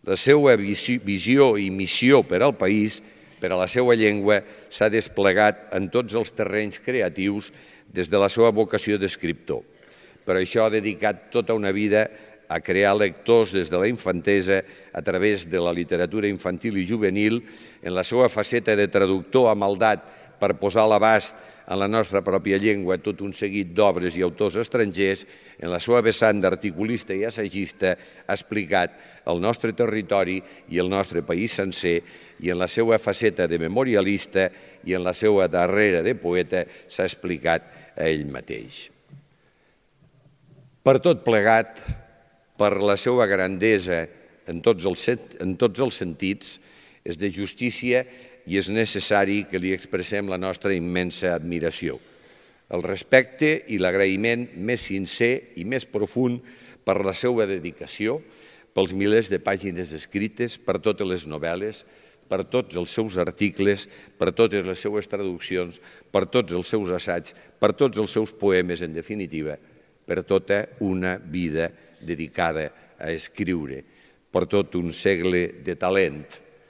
La seva visió i missió per al país, per a la seva llengua, s'ha desplegat en tots els terrenys creatius des de la seva vocació d'escriptor. Per això ha dedicat tota una vida a crear lectors des de la infantesa a través de la literatura infantil i juvenil, en la seva faceta de traductor a maldat per posar a l'abast en la nostra pròpia llengua tot un seguit d'obres i autors estrangers, en la seva vessant d'articulista i assagista ha explicat el nostre territori i el nostre país sencer, i en la seva faceta de memorialista i en la seva darrera de poeta s'ha explicat a ell mateix. Per tot plegat, per la seva grandesa en tots els sentits, és de justícia i és necessari que li expressem la nostra immensa admiració, el respecte i l'agraïment més sincer i més profund per la seva dedicació, pels milers de pàgines escrites, per totes les novel·les, per tots els seus articles, per totes les seues traduccions, per tots els seus assaigs, per tots els seus poemes, en definitiva, per tota una vida dedicada a escriure, per tot un segle de talent